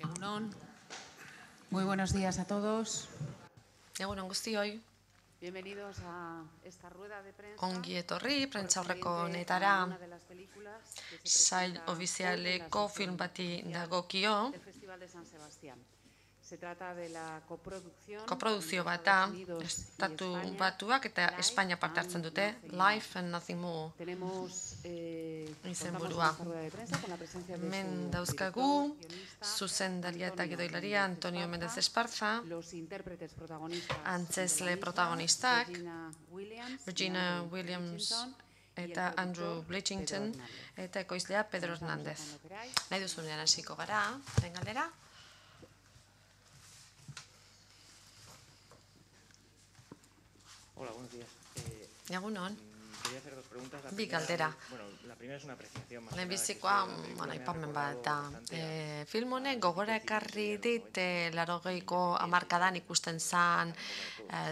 Egunon. Muy buenos días a todos. Egunon guztioi, Bienvenidos a esta rueda de prensa. ongi etorri, prentsaurreko honetara, sail ofizialeko film bati dagokio, del Festival de San Sebastián. Se trata de la koprodukzio bat da, Estatu Batuak eta Espainia parte hartzen dute, Life and Nothing More izenburua. Hemen dauzkagu, zuzendaria eta gidoilaria Antonio Méndez Esparza, antzesle protagonistak, Regina Williams eta Andrew Bridgington, eta ekoizlea Pedro Hernández. Nahi duzunean hasiko gara, den galdera? Hola, buenos días. Egunon. Quería hacer dos preguntas. Bi galdera. Bueno, la primera es una apreciación más. Lehenbizikoa, aipamen bat da. Film honek gogora ekarri dit 80ko hamarkadan ikusten zan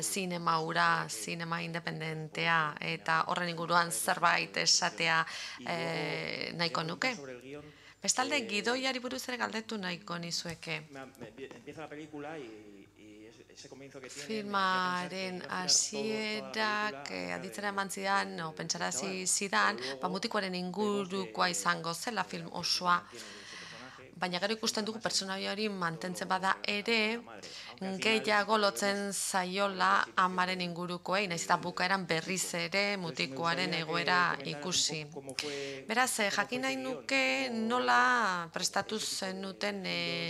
zinema hura, zinema independentea, eta horren inguruan zerbait esatea nahiko nuke. Bestalde, gidoiari buruz ere galdetu nahiko nizueke. Empieza la película y filmaren hasierak aditzera eman zidan, pentsarazi zidan, mutikoaren ingurukoa izango zela film osoa. Baina gero ikusten dugu pertsonaia hori mantentzen bada ere, gehiago lotzen zaiola amaren ingurukoei, nahiz eta bukaeran berriz ere mutikoaren egoera ikusi. Beraz, jakin nahi nuke nola prestatu zenuten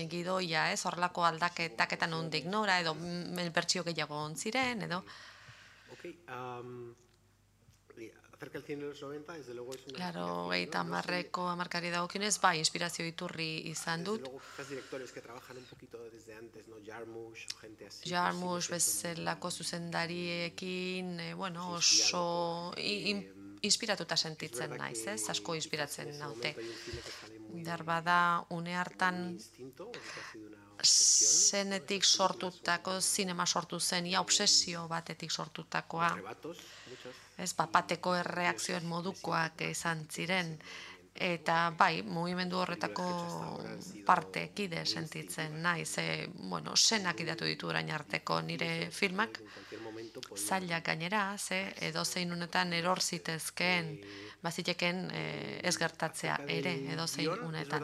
gidoia, horrelako aldaketak eta nondik nora, edo bertsio gehiago ontziren, edo? Acerca del cine de los 90, desde luego es una Claro, gehieta hamarreko hamarkari dagokionez, bai, inspirazio iturri izan dut. Desde luego, quizás directores que trabajan un poquito desde antes, ¿no? Jarmusch, gente así. Jarmusch bezalako zuzendariekin, oso inspiratuta sentitzen naiz, asko inspiratzen naute. Bada, une hartan zenetik sortutako, zinema sortu zen, obsesio batetik sortutakoa. Bateko erreakzioen modukoak izan ziren, eta bai, mugimendu horretako partekide sentitzen naiz. Senak idatu ditu orain arteko nire filmak, zailak gainera, edozein unetan eror zitezkeen, baziteken ez gertatzea ere, edozein unetan.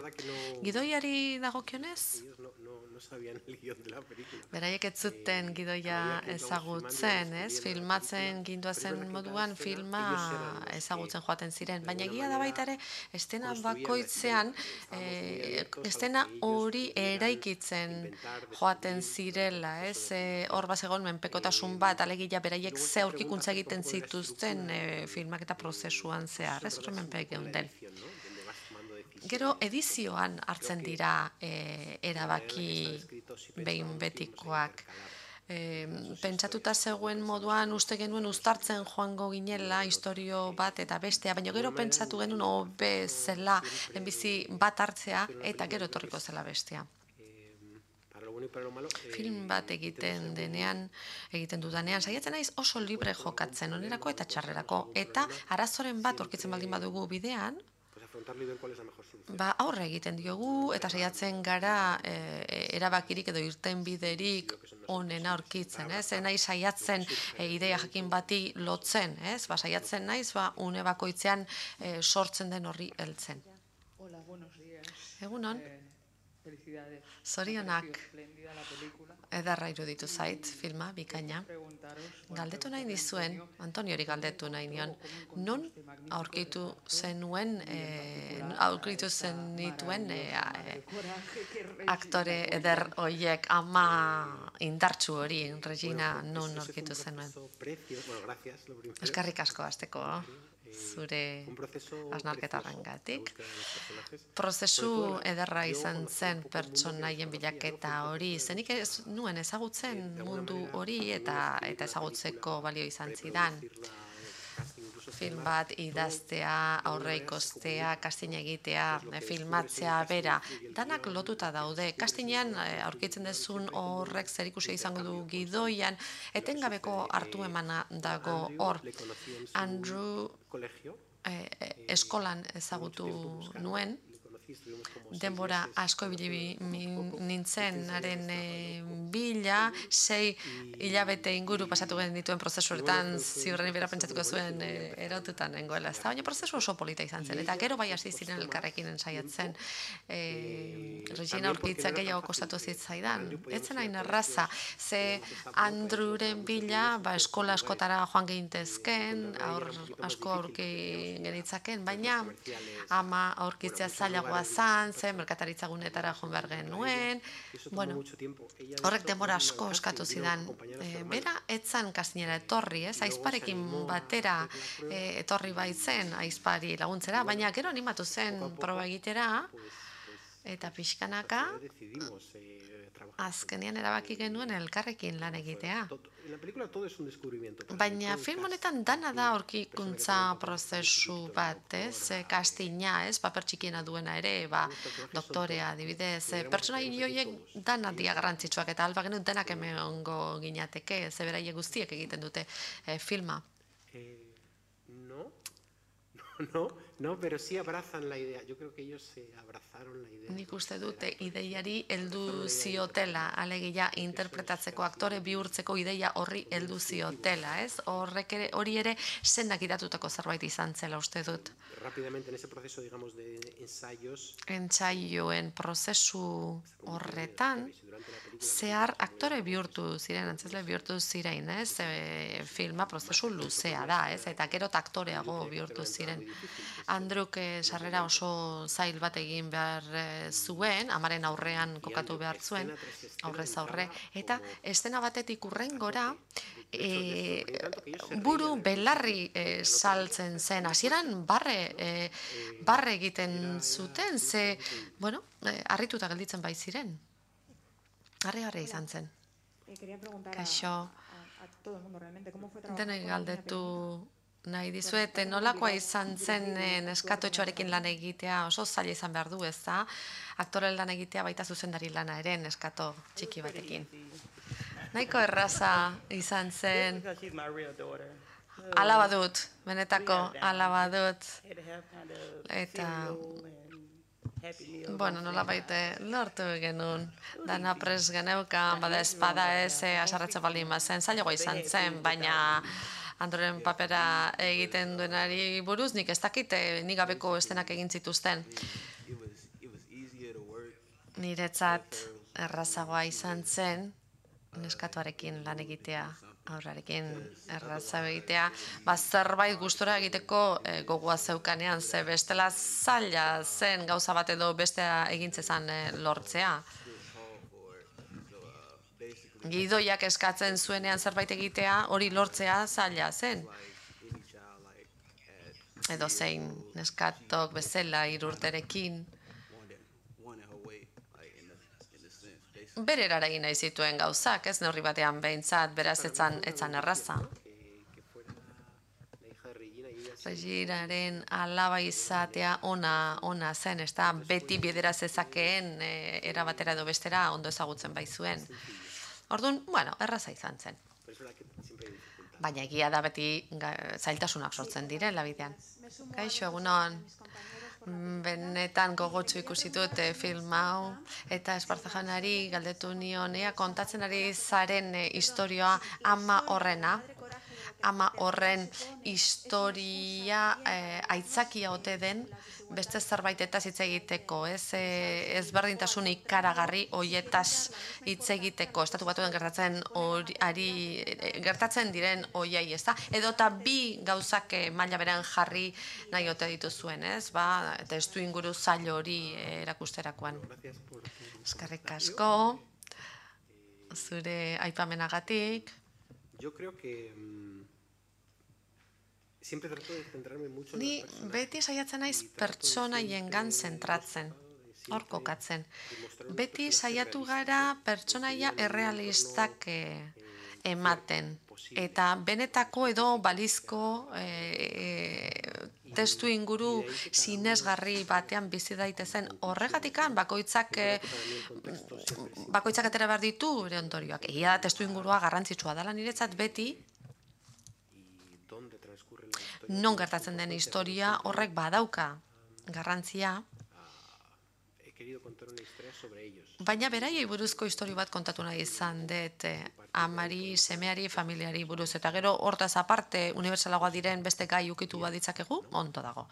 Gidoiari dagokionez? Beraiek ez zuten gidoia ezagutzen, filmatzen ginduazen moduan filma ezagutzen joaten ziren, baina egia da baita ere estena bakoitzean estena hori eraikitzen joaten zirela, hor bazegon menpekotasun bat, alegia beraiek ze aurkikuntza egiten zituzten filmak eta prozesuan zehar, horren menpeek geunden. Gero edizioan hartzen dira erabaki behin betikoak. Pentsatuta zegoen moduan uste genuen uztartzen joango ginela istorio bat eta bestea, baina gero pentsatu genuen hobe zela lehenbizi bat hartzea eta gero etorriko zela bestea. Film bat egiten dudanean, saiatzen naiz oso libre jokatzen, onerako eta txarrerako, eta arazoren bat aurkitzen baldin badugu bidean, aurre egiten diogu eta saiatzen gara erabakirik edo irtenbiderik onena aurkitzen, nahi saiatzen ideia jakin bati lotzen, saiatzen naiz une bakoitzean sortzen den horri heltzen. Hola, buenos días. Egunon. Felicidades. Zorionak. Edarra iruditu zait, filma, bikaina. Galdetu nahi nizuen, Antoniori galdetu nahi nion, non aurkitu zenituen aktore eder hoiek, ama indartsu hori, Regina, non aurkitu zenuen. Eskerrik asko hasteko, zure hausnarketarrengatik. Prozesu ederra izan zen pertsonaien bilaketa hori, zenik ez nuen ezagutzen mundu hori eta ezagutzeko balio izan zidan. Film bat idaztea, aurreikostea, casting egitea, filmatzea, bera, danak lotuta daude. Castingean aurkitzen dezun horrek zerikusia izango du gidoian, etengabeko hartu emana dago hor. Andrew eskolan ezagutu nuen, denbora asko ibili nintzen haren bila, 6 hilabete inguru pasatu genituen prozesu horretan, ziurrenik bera pentsatuko zuen erotutan nengoela. Baina prozesu oso polita izan zen, eta gero bai hasi ziren elkarrekin ensaiatzen. Regina aurkitzak gehiago kostatu zitzaidan. Etzen hain erraza, ze Andrewren bila eskola askotara joan gehintezken, asko aurki genitzaken, baina ama aurkitzea zailagoa zen merkataritza gunetara joan behar genuen, horrek denbora asko eskatu zidan. Bera, etzan kastinera etorri, aizparekin batera etorri baitzen aizpari laguntzera, baina gero animatu zen proba egitera, eta pixkanaka, azkenean erabaki genuen elkarrekin lan egitea. Baina film honetan dana da aurkikuntza prozesu bat, kastina, paper txikiena duena ere, doktorea, adibidez, pertsona horiek dana dia garrantzitsuak, eta alba genuen denak emango ginateke, ze beraiek guztiek egiten dute filma. No, pero sí abrazan la idea. Yo creo que ellos se abrazaron la idea. Nik uste dute ideiari heldu ziotela, alegia interpretatzeko aktore bihurtzeko ideia horri heldu ziotela, hori ere sendak idatutako zerbait izan zela uste dut. Rápidamente en ese proceso, digamos, de ensayos. Entsaioen prozesu horretan, zehar aktore bihurtu ziren, antzesle bihurtu ziren, filma prozesu luzea da, eta gero aktoreago bihurtu ziren. Andruk sarrera oso zail bat egin behar zuen, amaren aurrean kokatu behar zuen, aurrez aurre, eta estena batetik urrengora, buru belarri saltzen zen, hasieran barre egiten zuten, ze, harrituta gelditzen bai ziren. Harri izan zen. Kaixo, denoi galdetu nahi dizuet, nolakoa izan zen neskatotxoarekin lan egitea, oso zaila izan behar du, ez da? Aktore lan egitea baita zuzendari lana ere, neskato txiki batekin. Nahiko erraza izan zen. Alaba dut, benetako alaba dut. Eta... nola baite, lortu genuen, dana pres geneukan, bada espada asarratze baldin bazen, zailagoa izan zen, baina Androren papera egiten duenari buruz, nik ez dakite, nik gabeko estenak egin zituzten. Niretzat errazagoa izan zen, neskatuarekin lan egitea, aurrarekin erraza egitea, zerbait gustora egiteko gogoa zeukanean, ze bestela zaila zen gauza bat edo bestea egintzezan lortzea. Gidoiak eskatzen zuenean zerbait egitea, hori lortzea zaila zen. Edo zein neskatok bezala 3 urterekin. Bere erara egin nahi zituen gauzak, ez neurri batean behintzat, beraz etzan erraza. Reginaren alaba izatea ona zen, ez da beti bidera zezakeen erabatera edo bestera ondo ezagutzen baizuen. Orduan, erraza izan zen. Baina egia da beti zailtasunak sortzen direla bidean. Kaixo, egunon. Benetan gogotsu ikusi dut film hau, eta Esparzajanari galdetu nion, kontatzen ari zaren historioa ama horrena. Ama horren historia aitzakia ote den beste zerbaitetaz hitz egiteko, ezberdintasun ikaragarri hoietaz hitz egiteko, estatu batuen gertatzen diren hoiei, ez da? Edo eta bi gauzak maila berean jarri nahi ote dituzuen, ez? Testu inguru zail hori erakusterakoan. Eskerrik asko, zure aipamenagatik. Yo creo que siempre trato de centrarme mucho en Ni beti saiatzen naiz pertsonaiengan zentratzen, hor kokatzen. Beti saiatu gara pertsonaia errealistak ematen. Eta benetako edo balizko testu inguru sinesgarri batean bizi daitezen horregatikan bakoitzak atera behar ditu bere ondorioak. Egia da testu ingurua garrantzitsua dela niretzat beti, non gertatzen den historia horrek badauka garrantzia, querido contar una historia sobre ellos. Baina beraiei buruzko istorio bat kontatu nahi izan dut, amari, semeari, familiari buruz, eta gero hortaz aparte unibertsalagoa diren beste gai ukitu baditzakegu, ondo dago.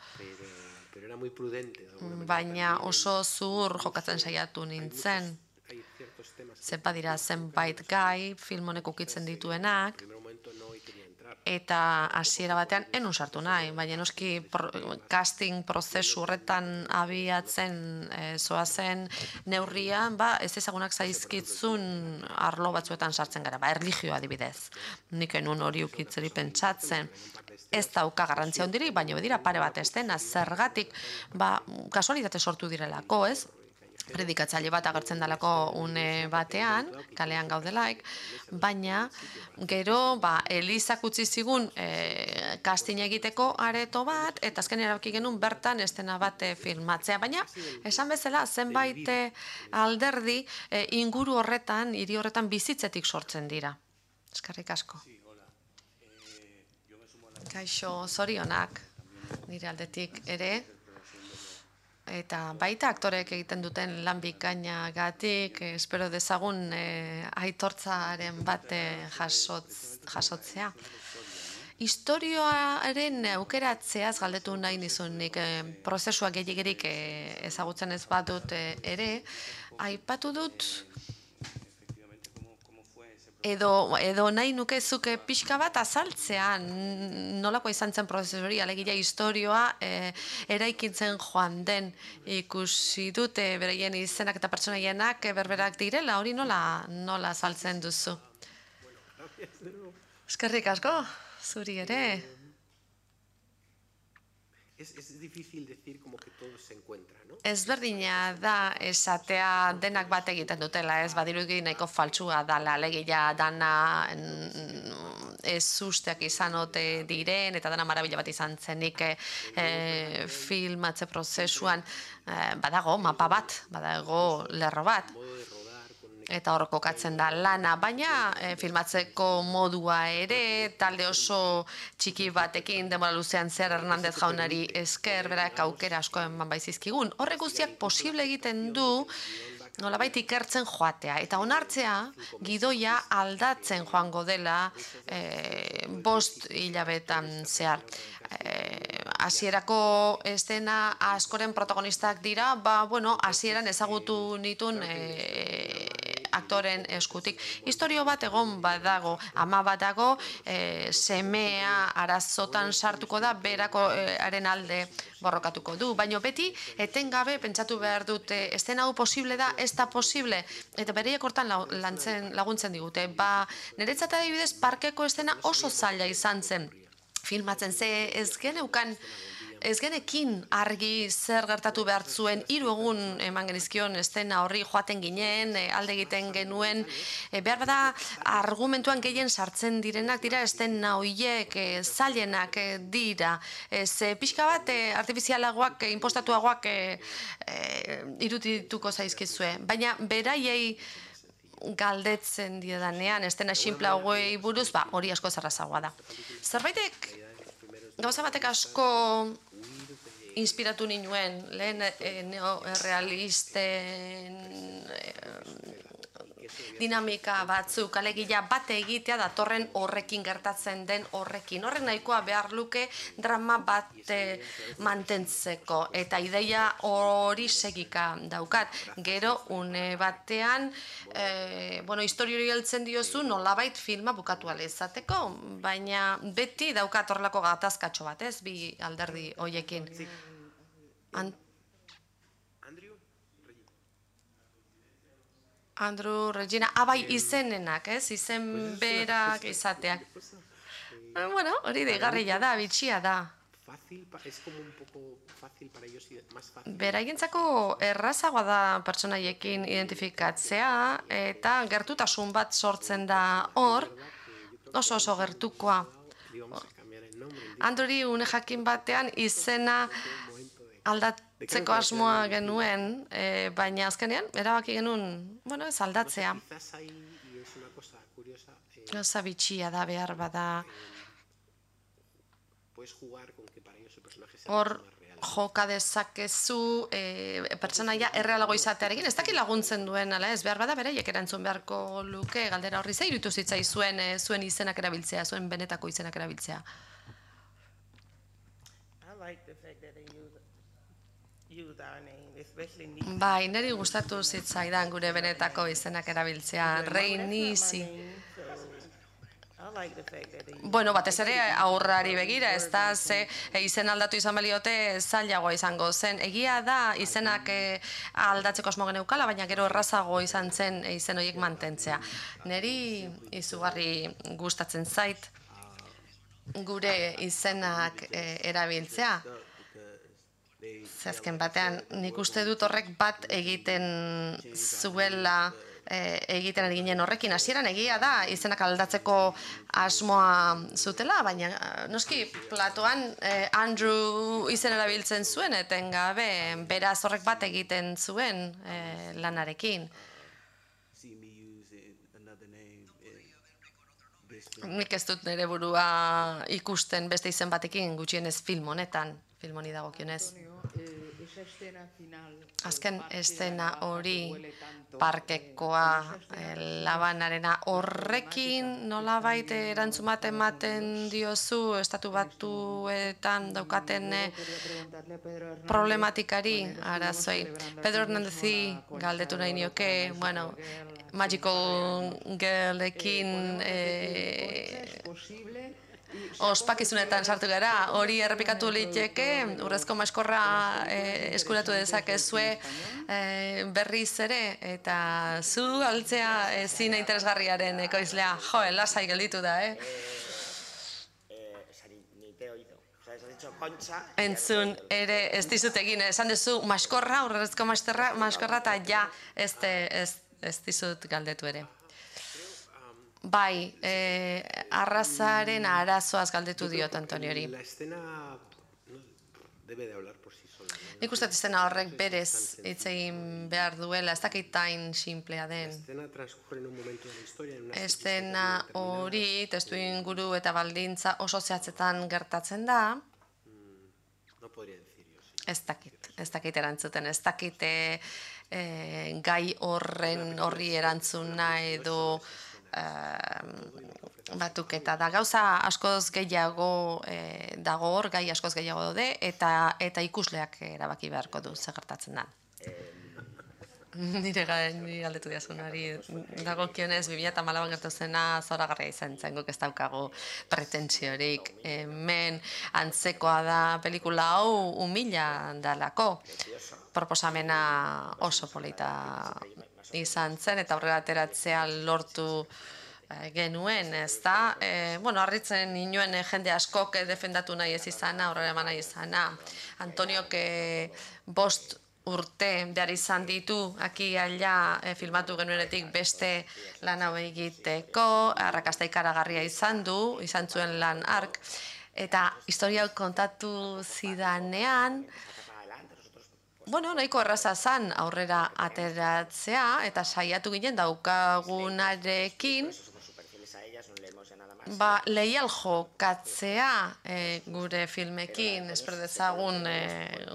Pero era muy prudente. De alguna manera Baina también. oso zuhur jokatzen saiatu nintzen, Hay ciertos temas que zenbat dira zenbait gai film honek ukitzen dituenak, en primer momento no quería entrar. eta hasiera batean enun sartu nahi, baina noski casting prozesu horretan abiatzen zoazen neurrian, ez ezagunak zaizkitzun arlo batzuetan sartzen gara, erlijioa adibidez. Nik enun hori ukitzeri pentsatzen. Ez dauka garrantzia hondirik, baina bedira pare bat estena, zergatik, kasualitate sortu direlako, ez? Predikatzaile bat agertzen dalako une batean, kalean gaudelaik, baina gero Elizak utzi zigun casting egiteko areto bat, eta azken erabaki genuen bertan estena bat filmatzea, baina esan bezala zenbait alderdi inguru horretan, hiri horretan bizitzetik sortzen dira. Eskerrik asko. Kaixo, zorionak, nire aldetik ere, eta baita aktoreek egiten duten lan bikainagatik, espero dezagun aitortzaren bat jasotzea. Historioaren aukeratzeaz galdetu nahi nizunik, prozesua gehiagirik ezagutzen ez badut ere, aipatu dut edo nahi nukezuke pixka bat azaltzea nolako izan zen prozesu hori, alegia historioa eraikitzen joan den ikusi dute beraien izenak eta pertsonaienak berberak direla, hori nola azaltzen duzu? Eskerrik asko, zuri ere. Es difícil decir como que todo se encuentra, ¿no? Ezberdina da esatea denak bat egiten dutela, ez badirudi nahiko faltsua dala, alegia dana ez usteak izan ote diren, eta dana marabila bat izan zenik filmatze prozesuan, badago mapa bat, badago lerro bat, eta hor kokatzen da lana, baina filmatzeko modua ere, talde oso txiki batekin denbora luzean zer Hernandez jaunari esker, berak aukera asko eman baizizkigun. Horrek guztiak posible egiten du, nolabait ikertzen joatea, eta onartzea gidoia aldatzen joango dela 5 hilabetan zehar. Hasierako estena askoren protagonistak dira, hasieran ezagutu nituen aktoren eskutik. Historio bat egon badago, ama bat dago, semea arazotan sartuko da, berakoaren alde borrokatuko du. Baina beti, etengabe pentsatu behar dute, estena hau posible da, ez da posible, eta bereiek hortan laguntzen digute. Niretzat adibidez, parkeko estena oso zaila izan zen filmatzen, ze ez genekin argi zer gertatu behar zuen, 3 egun eman genizkion estena horri joaten ginen, alde egiten genuen, behar bada argumentuan gehien sartzen direnak dira estena horiek zailenak dira, ze pixka bat artifizialagoak, impostatuagoak irudituko zaizkizue, baina beraiei galdetzen diedanean, estena sinpla hogei buruz, hori asko zerrazagoa da. Zerbaitek, gauza batek asko inspiratu ninuen, lehen neorealisten dinamika batzuk, alegia bate egitea datorren horrekin gertatzen den horrekin. Horrek nahikoa behar luke drama bat mantentzeko, eta ideia hori segika daukat. Gero, une batean, historiori heltzen diozu nolabait filma bukatu ala izateko, baina beti daukat horrelako gatazkatxo bat, ez, bi alderdi hoiekin. Andrew, Regina, bai izenenak, ez? Izen berak izateak. Hori deigarria da, bitxia da. Beraientzako errazagoa da pertsonaiekin identifikatzea, eta gertutasun bat sortzen da hor, oso gertukoa. Andrew, une jakin batean izena aldatzeko asmoa genuen, baina azkenean, erabaki genuen, ez aldatzea. Gauza bitxia da, behar bada. Hor, joka dezakezu pertsonaia errealago izatearekin, ez dakit laguntzen duen, ala ez behar bada beraiek erantzun beharko luke galdera horri, ze iruditu zitzaizuen zuen izenak erabiltzea, zuen benetako izenak erabiltzea. Bai, niri gustatu zitzaidan gure benetako izenak erabiltzea, Rei Nisi. Bueno, batez ere aurrari begira, ez da, ze izen aldatu izan baliote zailagoa izango zen. Egia da izenak aldatzeko asmo geneukala, baina gero errazago izan zen izen horiek mantentzea. Neri izugarri gustatzen zait gure izenak erabiltzea. Azken batean, nik uste dut horrek bat egiten zuela egiten ari ginen horrekin. Hasieran egia da izenak aldatzeko asmoa zutela, baina noski platoan Andrew izen erabiltzen zuen etengabe, beraz horrek bat egiten zuen lanarekin. Nik ez dut nire burua ikusten beste izen batekin gutxienez film honetan, film honi dagokionez. Azken estena hori parkekoa labanarena horrekin nolabait erantzun bat ematen diozu estatu batuetan daukaten problematikari arazoei. Pedro Hernandezi galdetu nahi nioke, bueno, Magical Girlekin ospakizunetan sartu gara, hori errepikatu liteke, urrezko maskorra eskuratu dezakezue berriz ere, eta zu altzea zine interesgarriaren ekoizlea, jo, lasai gelditu da, Entzun ere ez dizut egin, esan duzu maskorra, urrezko maskorra, eta ja ez dizut galdetu ere. Bai, arrazaren arazoaz galdetu diot Antoniori. Nik uste estena horrek berez hitz egin behar duela, ez dakit tain simplea den. Estena hori, testu inguru eta baldintza oso zehatzetan gertatzen da. Ez dakit erantzuten, ez dakit gai horri erantzuna edo batuketa da. Gauza askoz gehiago dago hor, gai askoz gehiago daude, eta ikusleak erabaki beharko du zer gertatzen da. Nire galdetu diazunari dagokionez 2014an gertu zena zoragarria izan zen, guk ez daukagu pretentsiorik. Hemen antzekoa da pelikula hau umila dalako. Proposamena oso polita izan zen eta aurrera ateratzea lortu genuen, ez da? Harritzen inuen jende askok defendatu nahi ez izana, aurrera eman nahi izana. Antoniok 5 urte behar izan ditu, aki ala filmatu genuenetik beste lan hau egiteko, arrakasta ikaragarria izan zuen lan hark, eta historia kontatu zidanean, nahiko erraza zan aurrera ateratzea, eta saiatu ginen daukagunarekin, leial jokatzea gure filmekin, espero dezagun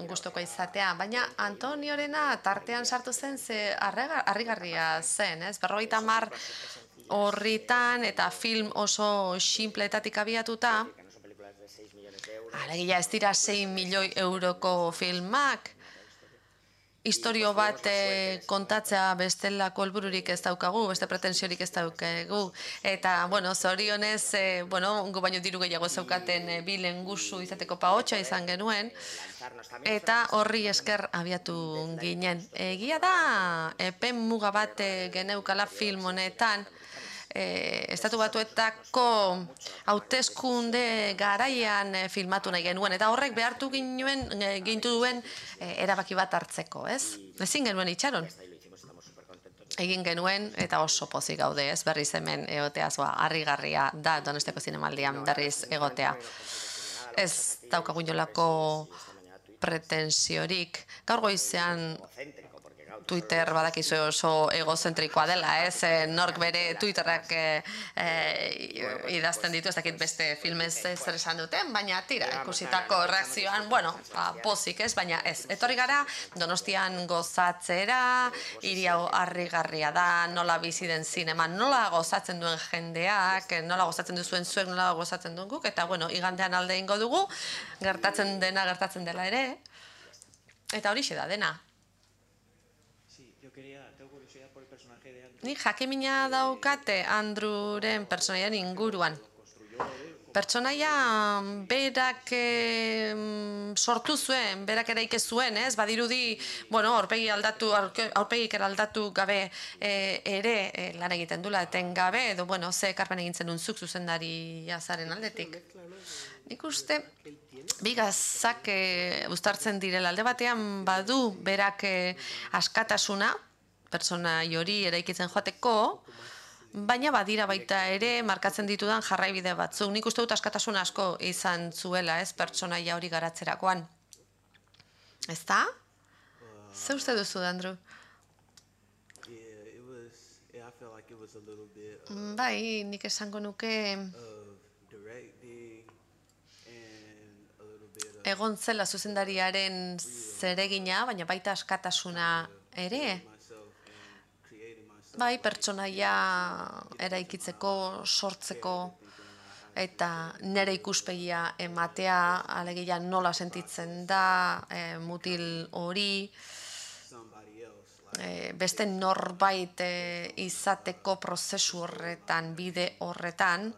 gustuko izatea, baina Antoniorena tartean sartu zen ze harrigarria zen, 50 horritan eta film oso sinpletatik abiatuta, alegia ez dira 6 milioi euroko filmak, historio bat kontatzea bestelako helbururik ez daukagu, beste pretensiorik ez daukagu. Eta, zorionez, gu baino diru gehiago zeukaten bi lengusu izateko pahotxa izan genuen, eta horri esker abiatu ginen. Egia da, epen muga bat geneukala film honetan, Estatu Batuetako hauteskunde garaian filmatu nahi genuen, eta horrek behartu gintu duen erabaki bat hartzeko, ez? Ezin genuen itxaron. Egin genuen eta oso pozik gaude, ez? Berriz hemen egotea, harrigarria da Donostiako Zinemaldian berriz egotea. Ez daukagu inolako pretensiorik. Gaur goizean Twitter badakizu oso egozentrikoa dela, ez? Nork bere Twitterrak idazten ditu, ez dakit beste filmez zer esan duten, baina tira, ikusitako reakzioan, bueno, pozik, ez? Baina ez, etorri gara Donostian gozatzera, hiri hau harrigarria da, nola bizi den zinema, nola gozatzen duen jendeak, nola gozatzen duzuen zuek, nola gozatzen duen guk, eta bueno, igandean alde ingo dugu, gertatzen dela ere, eta horixe da dena. Tengo curiosidad por el personaje de Andrew. Ni jakimina daukate Andrewren pertsonaiaren inguruan. Pertsonaia berak sortu zuen, berak eraiki zuen, ez? Badirudi, bueno, aurpegik aldatu gabe ere lan egiten dula etengabe, edo, bueno, ze ekarpen egin zenun zuk zuzendari jazaren aldetik. Nik uste, bi gazak uztartzen direla alde batean badu berak askatasuna, pertsonai hori eraikitzen joateko, baina badira baita ere markatzen ditudan jarraibide batzuk. Nik uste dut askatasun asko izan zuela, ez, pertsonaia hori garatzerakoan. Ez da? Ze uste duzu, Andrew? Bai, nik esango nuke egon zela zuzendariaren zeregina, baina baita askatasuna ere. Bai, pertsonaia eraikitzeko, sortzeko, eta nire ikuspegia ematea, alegia nola sentitzen da, mutil hori, beste norbait izateko prozesu horretan, bide horretan,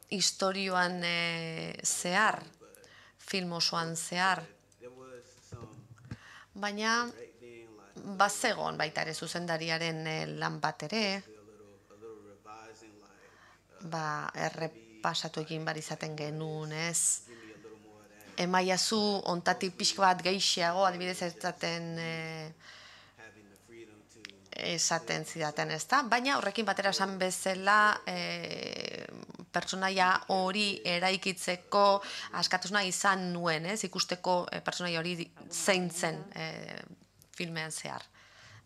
istorioan zehar, film osoan zehar, baina bazegon baita ere zuzendariaren lan bat ere, errepasatu egin bar izaten genuen, ez? Emaiazu ontatik pixka bat gehiago, adibidez esaten zidaten, ez da? Baina horrekin batera esan bezala pertsonaia hori eraikitzeko askatasuna izan nuen, ez? Ikusteko pertsonaia hori zein zen filmean zehar.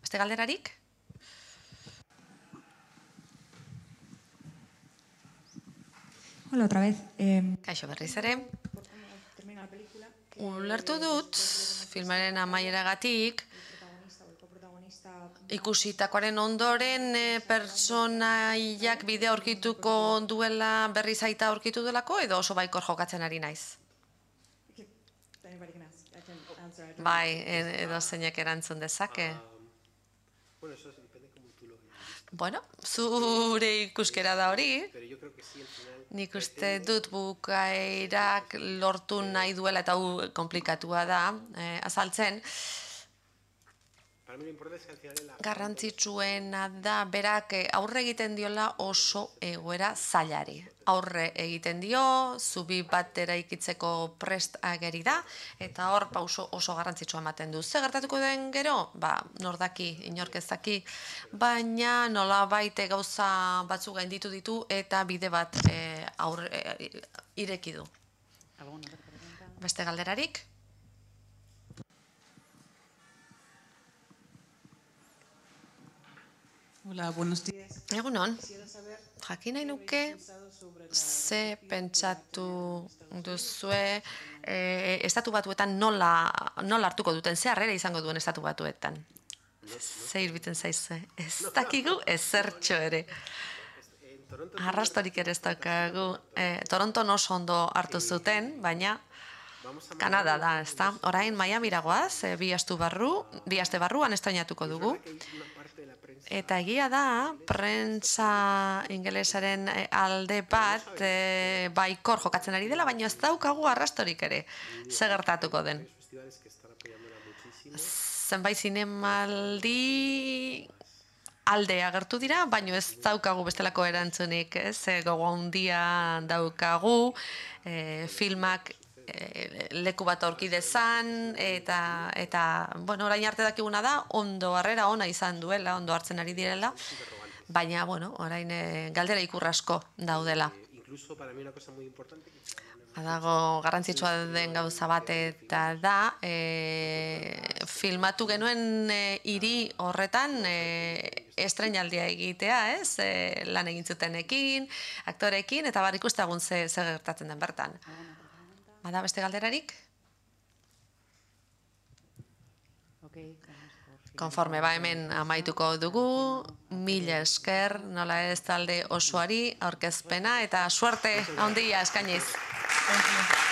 Beste galderarik? Hola, otra vez. Kaixo berriz ere. Ulertu dut, filmaren amaieragatik, ikusitakoaren ondoren pertsonaiak bidea aurkituko duela berriz aita aurkitu delako, edo oso baikor jokatzen ari naiz? Bai, edo zeinek erantzun dezake. Bueno, zure ikuskera da hori. Nik uste dut bukaerak lortu nahi duela, eta hau komplikatua da, azaltzen. Garrantzitsuena da berak aurre egiten diola oso egoera zailari. Aurre egiten dio, zubi bat eraikitzeko prest ageri da, eta hor pauso oso garrantzitsua ematen du. Ze gertatuko den gero? Nordaki, inork ez daki, baina nolabait gauza batzuk gainditu ditu eta bide bat ireki du. Beste galderarik? Hola, buenos días. Egunon, jakin nahi nuke ze pentsatu duzue estatu batuetan nola hartuko duten, ze harrera izango duen estatu batuetan. Ze irbiten zaizue, ez dakigu ezertxo ere. Arrastorik ere ez daukagu. Toronton oso ondo hartu zuten, baina Kanada da, ez da? Orain Miamira goaz, bi aste barruan estrainatuko dugu. Eta egia da, prentsa ingelesaren alde bat baikor jokatzen ari dela, baina ez daukagu arrastorik ere, ze gertatuko den. Zenbait zinemaldi alde agertu dira, baina ez daukagu bestelako erantzunik, gogo handia daukagu, filmak leku bat aurki dezan, eta bueno, orain arte dakiguna da, ondo harrera ona izan duela, ondo hartzen ari direla, baina, bueno, orain galdera ikur asko daudela. Badago garrantzitsua den gauza bat eta da, filmatu genuen hiri horretan estreinaldia egitea, ez? Lan egin zutenekin, aktorekin, eta bar ikustagun ze gertatzen den bertan. Bada beste galderarik? Konforme hemen amaituko dugu, mila esker, nola ez talde osoari, aurkezpena eta suerte handia eskainiz. Thank you.